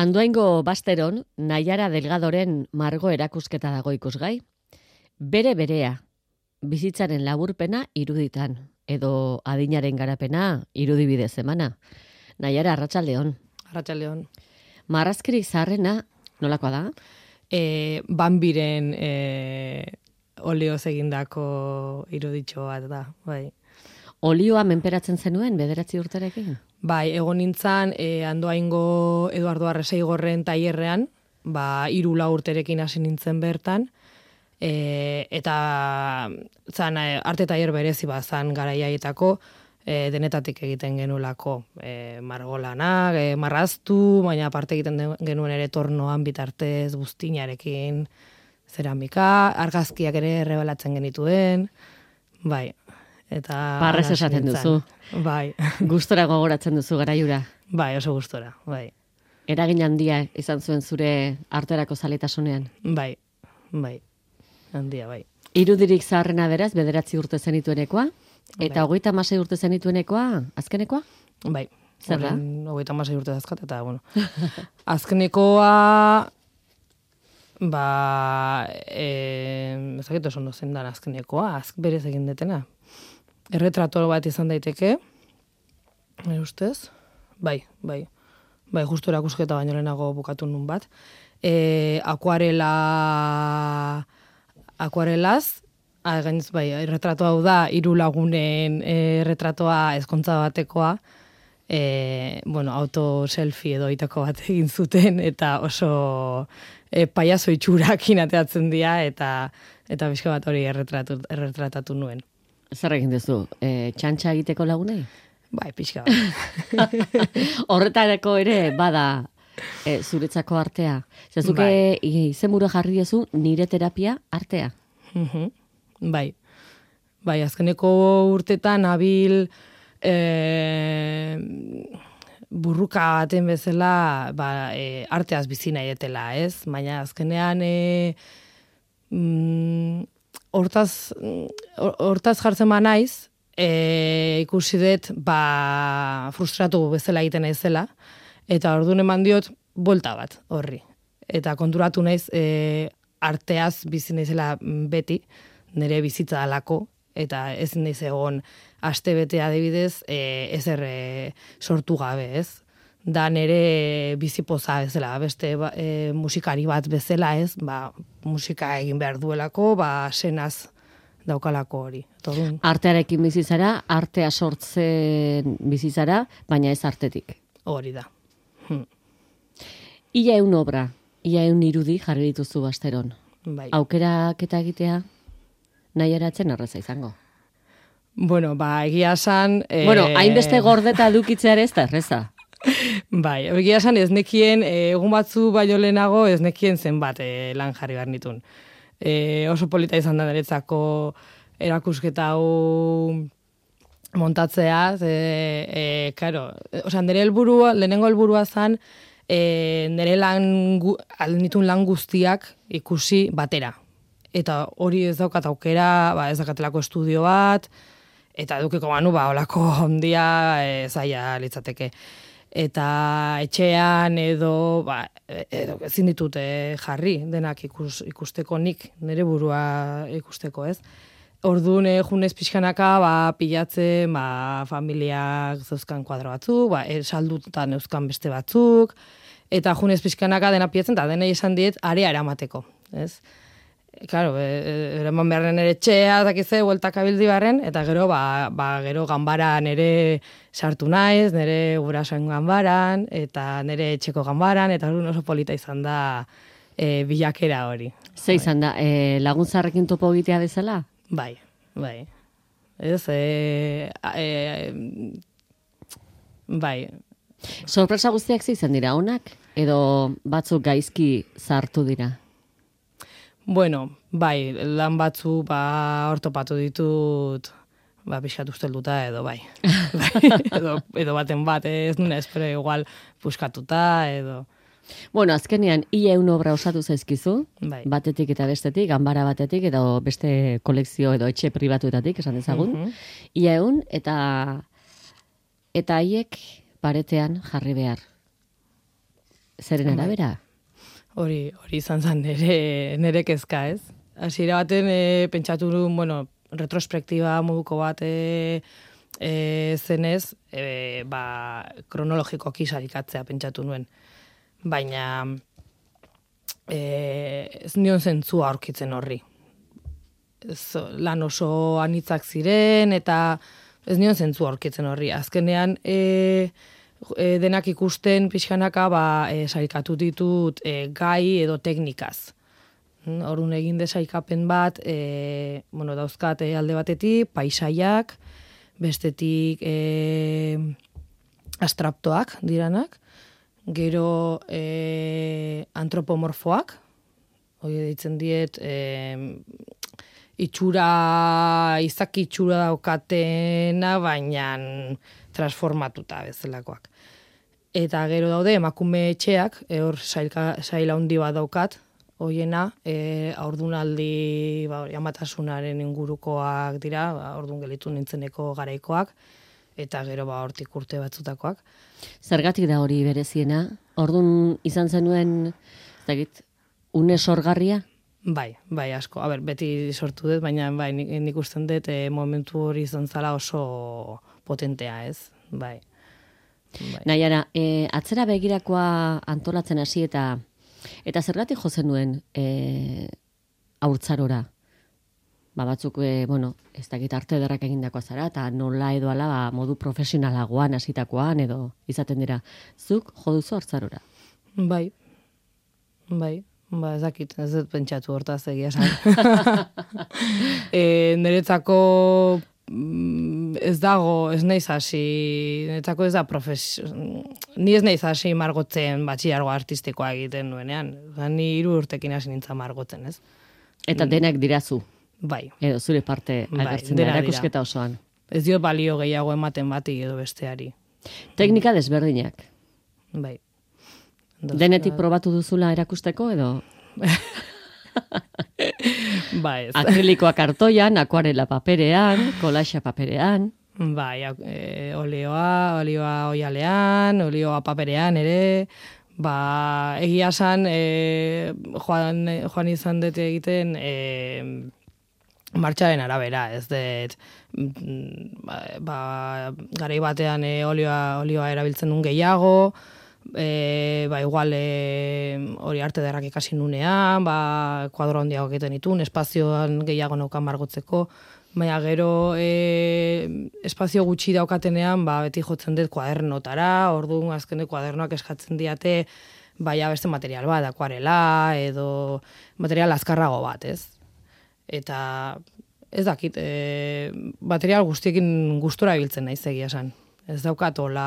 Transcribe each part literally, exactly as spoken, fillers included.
Andoaingo Basteron, Naiara Delgadoren margo erakusketa dago ikusgai. Bere berea, bizitzaren laburpena iruditan, edo adinaren garapena irudibidez emana. Naiara, arratsaldeon. Arratsaldeon. Marrazkirik zaharrena, nolakoa da? E, Bambiren e, olioz egindako iruditxo bat da, bai. Olioa menperatzen zenuen bederatzi urterekin? Bai, egon nintzen e, Andoaingo Eduardo Arreseigorren tailerrean, ba, hiru lau urterekin hasi nintzen bertan, e, eta zan, arte tailer berezi bat zan garaiaietako, e, denetatik egiten genulako e, margolanak, e, marraztu, baina aparte egiten genuen ere tornoan bitartez, buztinarekin, zeramika, argazkiak ere errebelatzen genituen, bai. Eta Parrez esaten duzu. Bai. Gustora gogoratzen duzu garaiura. Bai, oso gustora, bai. Eragin handia izan zuen zure arterako zaletasunean. Bai, bai. Handia, bai. Irudirik zaharrena beraz, bederatzi urte zenituenekoa, eta bai. hogeita hamasei urte zenituenekoa, azkenekoa? Bai. Zer da? Hogeita hamasei urte dazkat, eta, bueno. Azkenekoa, ba, e, ezakit oso ondo zen dan azkenekoa, azk berez egin detena. Erretrato bat izan daiteke, e, ustez? Bai, bai. Bai, justu erakusketa baino lehenago bukatu nun bat. E, akuarela, akuarelaz, gainez, bai, erretrato hau da, hiru lagunen erretratoa ezkontza batekoa, e, bueno, auto-selfie edo itako bat egin zuten, eta oso e, paiazo itxurakin ateatzen dira, eta eta bizka bat hori erretratu, erretratatu nuen. Zer egin duzu? E, txantxa egiteko lagunei? Bai, pixka bat. Horretarako ere bada e, zuretzako artea. Zezuke Bai. izenburu jarri duzu nire terapia artea. Mhm. Bai. Bai, azkeneko urtetan abil e, burruka baten bezala ba, e, arteaz bizi nahi etela, ez? Baina azkenean e, mm, hortaz, hortaz jartzen ba naiz, e, ikusi dut ba, frustratu bezala egiten naizela, eta orduan eman diot bolta bat horri. Eta konturatu naiz e, arteaz bizi naizela beti, nire bizitza dalako, eta ez naiz egon aste bete adibidez e, ezer e, sortu gabe, ez? Da nire bizipoza bezala, beste e, musikari bat bezala, ez? Ba, musika egin behar duelako, ba, senaz daukalako hori. Todun. Artearekin bizizara, artea sortzen bizizara, baina ez artetik. Hori da. Hm. Ia eun obra, ia eun irudi jarri dituzu Basteron. Bai. Aukerak eta egitea nahi eratzen erreza izango. Bueno, ba, egia esan... E... Bueno, hainbeste gordeta edukitzea ez da erreza. Bai, egia esan ez nekien, egun batzu baino lehenago ez nekien zenbat e, lan jarri behar nitun. E, oso polita izan da niretzako erakusketa hau montatzea, e, e, karo, osea, nire helburua, lehenengo helburua zan, e, nire lan, nitun lan guztiak ikusi batera. Eta hori ez daukat aukera, ba, ez dakatelako estudio bat, eta edukiko banu, ba, olako ondia e, zaila litzateke. Eta etxean edo, ba, edo ezin ditut eh, jarri denak ikus, ikusteko nik, nire burua ikusteko, ez? Orduan eh, junez pixkanaka ba, pilatzen ba, familiak zeuzkan kuadro batzuk, ba, saldutan euzkan beste batzuk, eta junez pixkanaka dena pilatzen, eta denei esan diet area eramateko, ez? Claro, eraman beharren ere etxea, dakize, bueltak abildi barren, eta gero, ba, ba, gero ganbaran ere sartu naiz, nire gurasoen ganbaran, eta nire etxeko ganbaran, eta oso polita izan da e, bilakera hori. Ze izan da, e, laguntzarrekin topo egitea bezala? Bai, bai. Ez, e, e, bai. Sorpresa guztiak ze izan dira, onak? Edo batzuk gaizki zartu dira? Bueno, bai, lan batzu ba ortopatu ditut, ba pixkat ustelduta edo bai. bai edo, edo baten bat ez nuna espero igual puskatuta edo. Bueno, azkenean ia eun obra osatu zaizkizu, bai. Batetik eta bestetik, ganbara batetik edo beste kolekzio edo etxe pribatuetatik, esan dezagun. Mm-hmm. Ia eun eta eta haiek paretean jarri behar. Zeren arabera? Hori, hori izan zen nere, nere kezka, ez? Hasiera baten e, pentsatu nuen, bueno, retrospektiba moduko bat e, e, zenez, e, ba, kronologikoki sarikatzea pentsatu nuen. Baina e, ez nion zentzua aurkitzen horri. Ez, lan oso anitzak ziren, eta ez nion zentzua aurkitzen horri. Azkenean, e, E, denak ikusten pixkanaka ba, e, saikatu ditut e, gai edo teknikaz. Orduan egin de saikapen bat, e, bueno, dauzkat e, alde batetik, paisaiak, bestetik e, astraptoak diranak, gero e, antropomorfoak, hori deitzen diet, e, itxura, izaki itxura daukatena, baina transformatuta bezalakoak. Eta gero daude emakume etxeak, e, hor sailka, saila handi bat daukat, hoiena, e, aurdunaldi, ba, amatasunaren ingurukoak dira, ba, aurdun gelitu nintzeneko garaikoak, eta gero ba hortik urte batzutakoak. Zergatik da hori bereziena? Ordun izan zenuen, ez dakit, une sorgarria? Bai, bai, asko. A ber, beti sortu dut, baina bai, nik, nik usten dut e, momentu hori izan zala oso potentea, ez? Bai. Bai. Naiara, e, atzera begirakoa antolatzen hasi eta eta zergatik jo zenuen e, haurtzarora? Ba batzuk, e, bueno, ez dakit arte ederrak egindakoa zara, eta nola edo ala ba, modu profesionalagoan hasitakoan edo izaten dira. Zuk jo duzu haurtzarora? Bai, bai. Ba, ez dakit, ez dut pentsatu hortaz egia esan. e, niretzako ez dago, ez naiz hasi, niretzako ez da profesio, ni ez naiz hasi margotzen batxilargo artistikoa egiten nuenean. Ni hiru urtekin hasi nintzen margotzen, ez? Eta denak dirazu? Bai. Edo zure parte agertzen da erakusketa osoan? Ez dio balio gehiago ematen bati edo besteari. Teknika desberdinak? Bai. Denetik probatu duzula erakusteko edo? Ba ez. Akrilikoa kartoian, akuarela paperean, kolaxa paperean. Bai, e, olioa, olioa oialean, olioa paperean ere. Ba, egia esan, e, joan, joan izan dute egiten e, martxaren arabera, ez dut, ba, ba, garai batean e, olioa, olioa erabiltzen duen gehiago, E, ba, igual e, hori arte derrak ikasi nunean, ba, kuadro handiago egiten ditun, espazioan gehiago naukan margotzeko, baina gero e, espazio gutxi daukatenean, ba, beti jotzen dut kuadernotara, orduan azken kuadernoak eskatzen diate, baina beste material bat, akuarela, edo material azkarrago bat, ez? Eta ez dakit, e, material guztiekin gustura ibiltzen naiz egia esan. Ez daukat hola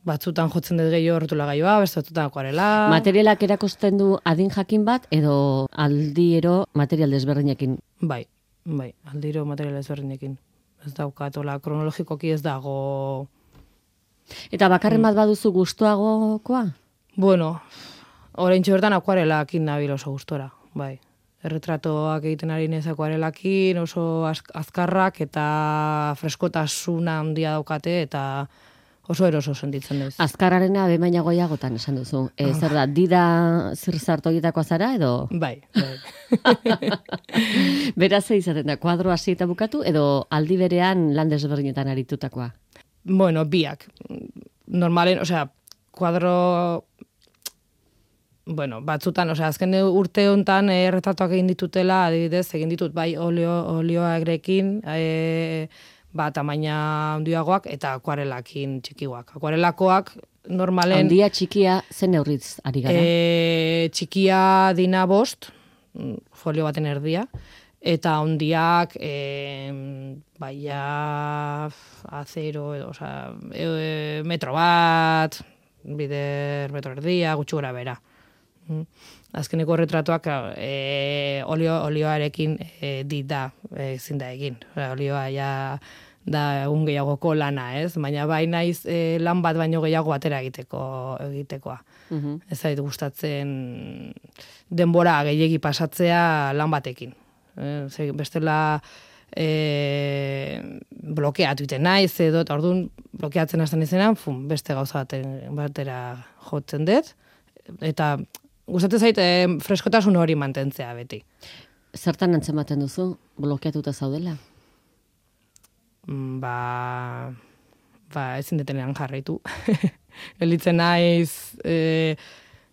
batzutan jotzen dut gehiago horretula gaioa, beste batzutan akuarela. Materialak erakusten du adin jakin bat, edo aldiero material desberdinekin? Bai, bai, aldiro material desberdinekin. Ez daukat, hola, kronologikoki ez dago. Eta bakarren bat baduzu gustuagokoa? Bueno, oraintxe bertan akuarelakin nabil oso gustora, bai. Erretratoak egiten ari nez akuarelakin, oso azkarrak eta freskotasuna handia daukate, eta oso eroso sentitzen duz. Azkarrarena bemaina goiagotan esan duzu. E, zer da, dida zirzartu horietakoa zara edo? Bai, bai. Beraz izaten da, kuadro hasi eta bukatu edo aldi berean lan desberdinetan aritutakoa? Bueno, biak. Normalen, osea, kuadro... Bueno, batzutan, osea, azken urte hontan erretratuak egin ditutela, adibidez, egin ditut bai olio, olioagrekin, e, ba, tamaina handiagoak eta akuarelakin txikiagoak. Akuarelakoak normalen... Handia txikia zen neurritz ari gara? E, txikia dina bost, folio baten erdia, eta handiak e, baia azero, edo, osea, e, metro bat, bider metro erdia, gutxi gora bera. Azkeneko retratuak e, olio, olioarekin e, dit da, ezin da egin. Olioa ja da egun gehiagoko lana, ez? Baina bai naiz e, lan bat baino gehiago batera egiteko egitekoa. Uh-huh. Ez zait gustatzen denbora gehiegi pasatzea lan batekin. E, bestela e, blokeatu iten naiz edo, eta orduan blokeatzen hasten izenan, fun, beste gauza baten, batera jotzen dut, eta gustatzen zait e, freskotasun hori mantentzea beti. Zertan antzematen duzu, blokeatuta zaudela? Ba, ba ezin detenean jarraitu. Elitzen naiz, e,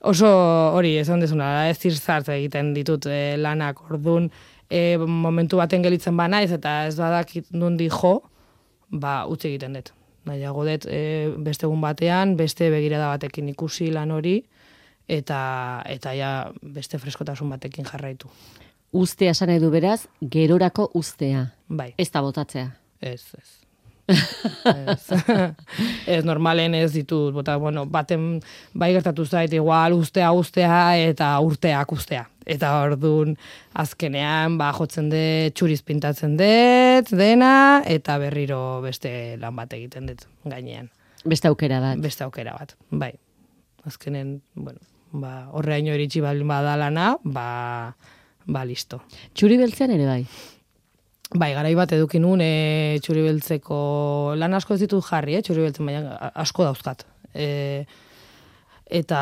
oso hori, esan dezuna, ez zirzart egiten ditut e, lanak orduan, E, momentu baten gelitzen ba naiz eta ez badakit nundi jo, ba utzi egiten dut. Nahiago dut e, beste egun batean, beste begirada batekin ikusi lan hori eta eta ja beste freskotasun batekin jarraitu. Ustea esan nahi du beraz, gerorako ustea. Bai. Ez da botatzea. Ez, ez. ez. ez normalen ez ditut, bota, bueno, baten bai gertatu zait, igual ustea ustea eta urteak ustea. Eta orduan azkenean ba jotzen dut, txuriz pintatzen dut, dena, eta berriro beste lan bat egiten dut gainean. Beste aukera bat. Beste aukera bat, bai. Azkenen, bueno, ba, horreaino iritsi baldin bada lana, ba, ba listo. Txuri beltzean ere bai? Bai, garai bat eduki nun e, txuri beltzeko lan asko ez ditut jarri, eh, txuri beltzen baina asko dauzkat. E, eta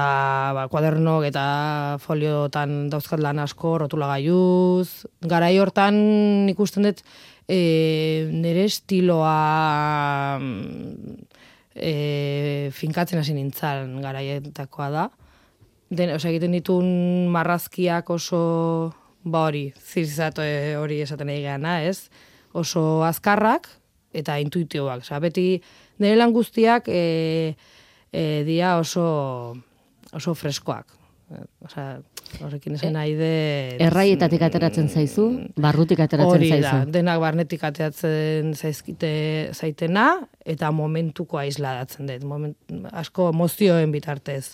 ba, kuadernok eta foliotan dauzkat lan asko, rotulagailuz. Garai hortan ikusten dut e, nire estiloa e, finkatzen hasi nintzan garaietakoa da. Den, osea, egiten ditun marrazkiak oso... Ba hori, zirzatu hori esaten nahi gana, ez? Oso azkarrak eta intuitioak. Osa, beti nire lan guztiak e, e, dia oso, oso freskoak. Osa, horrekin esan nahi de... Erraietatik ateratzen zaizu, barrutik ateratzen hori zaizu. Hori da, denak barnetik ateratzen zaizkite zaitena eta momentuko aisladatzen dut. Moment, asko emozioen bitartez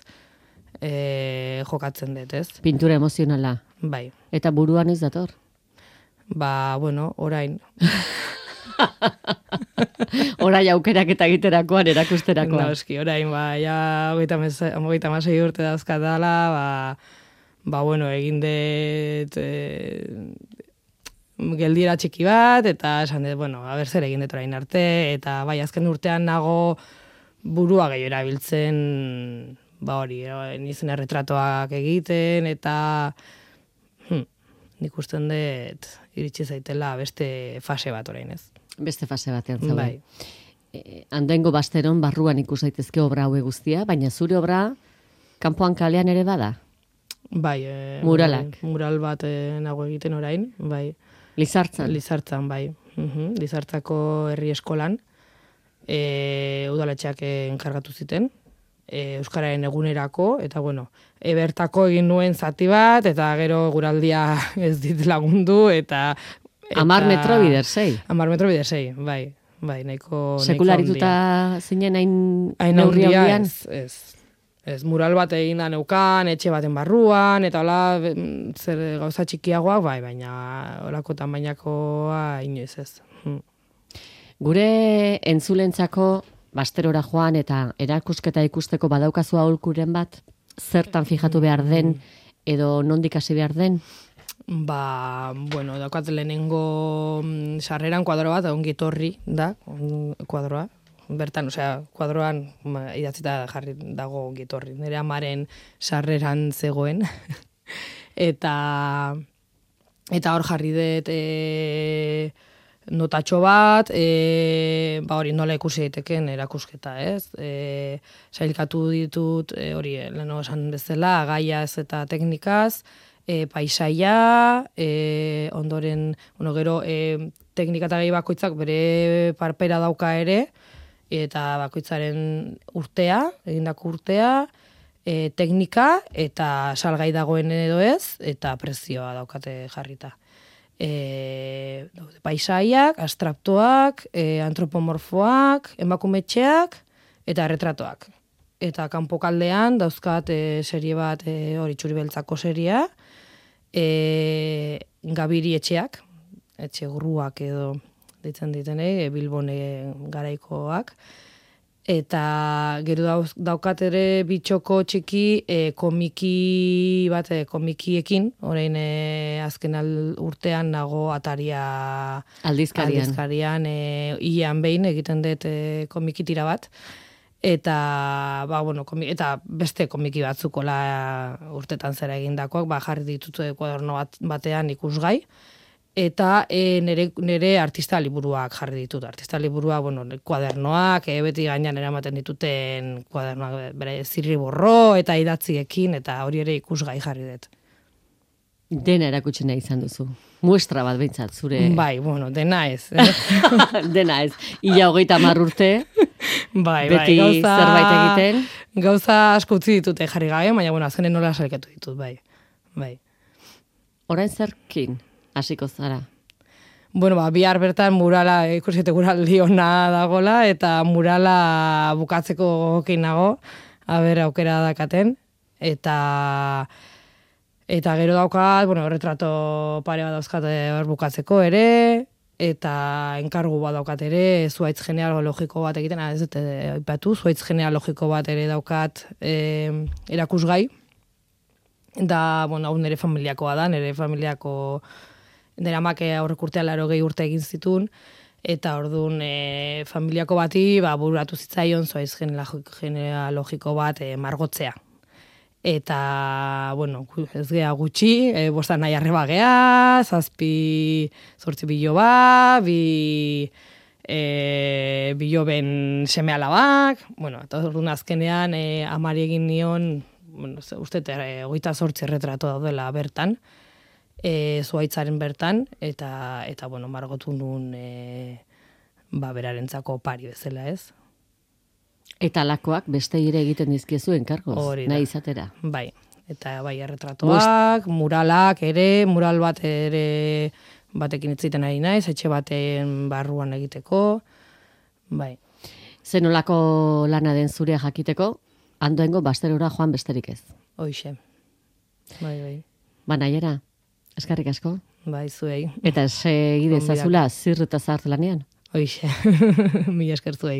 e, jokatzen dut, ez? Pintura emozionala. Bai. Eta buruan ez dator? Ba, bueno, orain. Orain aukerak eta egiterakoan, erakusterakoan. No, eski, orain, ba, ja, hogeita masei urte dauzkatala, ba, ba, bueno, egin dut e, geldiera txiki bat, eta esan dut, bueno, a ber zer egin dut orain arte, eta bai, azken urtean nago burua gehiago erabiltzen, ba hori, nizen erretratoak egiten, eta... Nik usten dut iritsi zaitela beste fase bat orain, ez? Beste fase batean zaude. Bai. E, Andoaingo Basteron barruan ikus daitezke obra haue guztia, baina zure obra kanpoan kalean ere bada? Bai. E, Muralak? Bai, mural bat e, nago egiten orain, bai. Lizartzan? Lizartzan, bai. Uhum, Lizartzako herri eskolan. E, udaletxeak enkargatu ziten. Euskararen egunerako, eta bueno, ebertako egin nuen zati bat, eta gero guraldia ez dit lagundu, eta... eta Amar metro bider sei. Amar metro bider sei, bai, bai, nahiko... Sekularituta zinen hain neurri handian? Ez, ez. Ez, mural bat egin da neukan, etxe baten barruan, eta hola, zer gauza txikiagoak, bai, baina holako tamainakoa inoiz ez. Hm. Gure entzulentzako... Basterora joan eta erakusketa ikusteko badaukazu aholkuren bat, zertan fijatu behar den edo nondik hasi behar den? Ba, bueno, daukat lehenengo sarreran kuadro bat, ongi etorri da, kuadroa. Bertan, osea, kuadroan idatzita jarri dago ongi etorri. Nire amaren sarreran zegoen. eta eta hor jarri dut... E, notatxo bat, e, ba hori nola ikusi daiteken erakusketa, ez? E, sailkatu ditut, e, hori, leheno esan bezala, gaiaz eta teknikaz, e, paisaia, e, ondoren, bueno, gero, e, teknika eta gai bakoitzak bere parpera dauka ere, eta bakoitzaren urtea, egindako urtea, e, teknika, eta salgai dagoen edo ez, eta prezioa daukate jarrita. E, paisaiak, abstraktoak, e, antropomorfoak, emakumetxeak eta retratoak. Eta kanpokaldean dauzkat e, serie bat e, hori txuri beltzako seria, e, gabiri etxeak, etxe gruak edo ditzen ditene, e, Bilbone garaikoak, eta gero dauz, daukat ere bitxoko txiki e, komiki bat, e, komikiekin, orain e, azken al, urtean nago ataria Aldizkarian. aldizkarian e, ian behin egiten dut e, komikitira bat, eta, ba, bueno, komi, eta beste komiki batzukola urtetan zera egindakoak, ba, jarri ditut kuaderno bat, batean ikusgai, eta e, nere, nere artista liburuak jarri ditut. Artista liburuak, bueno, kuadernoak, e, beti gainean eramaten dituten kuadernoak, bere zirriborro eta idatziekin, eta hori ere ikusgai jarri dut. Dena erakutsi nahi izan duzu. Muestra bat behintzat, zure... Bai, bueno, dena ez. Eh? Dena ez. Ia hogeita hamar urte, bai, beti bai, gauza, zerbait egiten. Gauza asko utzi ditute jarri gabe, baina, bueno, azkenen nola salkatu ditut, bai. bai. Orain zerkin hasiko zara? Bueno, ba, bihar bertan murala, ikusite muraldi ona dagola, eta murala bukatzeko gogokin nago, aber aukera dakaten, eta eta gero daukat, bueno, retrato pare bat dauzkat hor bukatzeko ere, eta enkargu bat daukat ere, zuaitz genealogiko bat egiten, ez dut aipatu, zuaitz genealogiko bat ere daukat e, erakusgai, da, bueno, hau nire familiakoa da, nire familiako nire amak aurrek urtean laro gehi urte egin zitun, eta orduan e, familiako bati ba, bururatu zitzaion zuaiz genealogiko bat e, margotzea. Eta, bueno, ez gea gutxi, e, bostan nahi arreba gea, zazpi zortzi biloba, bi e, biloben seme alabak, bueno, eta orduan azkenean e, amari egin nion, bueno, uste, e, hogeita zortzi erretrato daudela bertan, E, zuaitzaren bertan, eta, eta bueno, margotu nun e, ba, berarentzako pari bezala, ez? Eta lakoak beste ere egiten dizkiezu enkargoz, nahi izatera. Bai, eta bai erretratoak, muralak ere, mural bat ere batekin itziten ari naiz, etxe baten barruan egiteko, bai. Zenolako lana den zurea jakiteko, Andoaingo basterora joan besterik ez. Hoixe, bai, bai. Ba, nahiera. Eskarrik asko. Bai, zuei. Eta segi dezazula zirr eta zart lanean. Hoixe, mila esker zuei.